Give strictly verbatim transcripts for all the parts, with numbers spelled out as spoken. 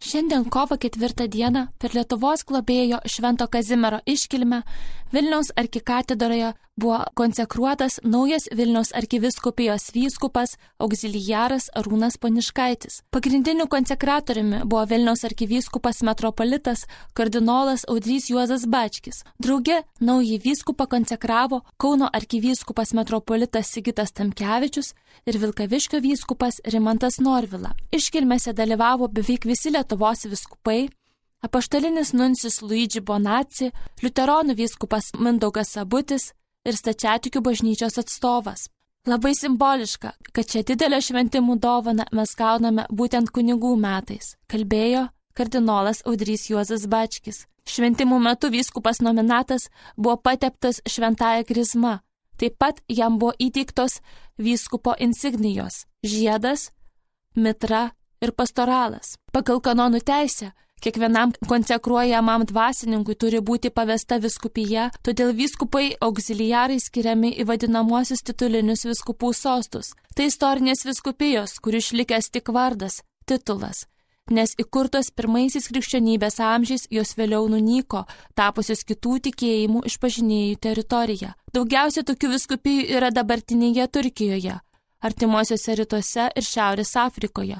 Šiandien kovo ketvirtą dieną per Lietuvos globėjo Švento Kazimiero iškilmę Vilniaus arkikatedroje buvo konsekruotas naujas Vilniaus arkivyskupijos vyskupas auxiliaras Arūnas Poniškaitis. Pagrindiniu konsekratoriumi buvo Vilniaus arkivyskupas metropolitas kardinolas Audrys Juozas Bačkis. Drauge naują vyskupą konsekravo Kauno arkivyskupas metropolitas Sigitas Tamkevičius ir Vilkaviškio vyskupas Rimantas Norvila. Iškilmėse dalyvavo beveik visi Lietuvos vyskupai, apaštalinis nuncijus Luigi Bonacci, liuteronų vyskupas Mindaugas Sabutis ir stačiatikių bažnyčios atstovas. Labai simboliška, kad šią didelę šventimų dovaną mes gauname būtent kunigų metais, kalbėjo kardinolas Audrys Juozas Bačkis. Šventimų metu vyskupas nominatas buvo pateptas šventąja krizma. Taip pat jam buvo įteiktos vyskupo insignijos – žiedas, mitra ir pastoralas. Pagal kanonų teisę, kiekvienam konsekruojamam dvasininkui turi būti pavesta vyskupija, todėl vyskupai auxiliarai skiriami į vadinamuosius titulinius vyskupų sostus. Tai istorinės vyskupijos, kur išlikęs tik vardas, titulas, nes įkurtos pirmaisiais krikščionybės amžiais jos vėliau nunyko, tapusios kitų tikėjimų išpažinėjų teritorija. Daugiausia tokių vyskupijų yra dabartinėje Turkijoje, artimuosiuose rytuose ir Šiaurės Afrikoje.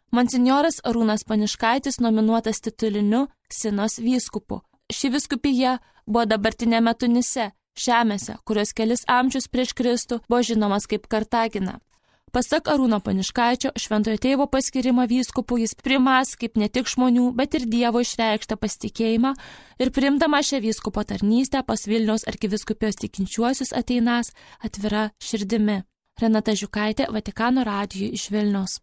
Monsinjoras Arūnas Poniškaitis nominuotas tituliniu Sinos vyskupu. Ši vyskupija buvo dabartinėme Tunise, Žemėse, kurios kelis amžius prieš Kristų buvo žinomas kaip Kartagina. Pasak Arūno Poniškaičio, šventojo tėvo paskirimą vyskupu jis primas kaip ne tik žmonių, bet ir Dievo išreikštą pasitikėjimą ir priimdama šią vyskupo tarnystę pas Vilniaus arkivyskupijos tikinčiuosius ateinas atvira širdimi. Renata Žiukaitė, Vatikano radijui iš Vilniaus.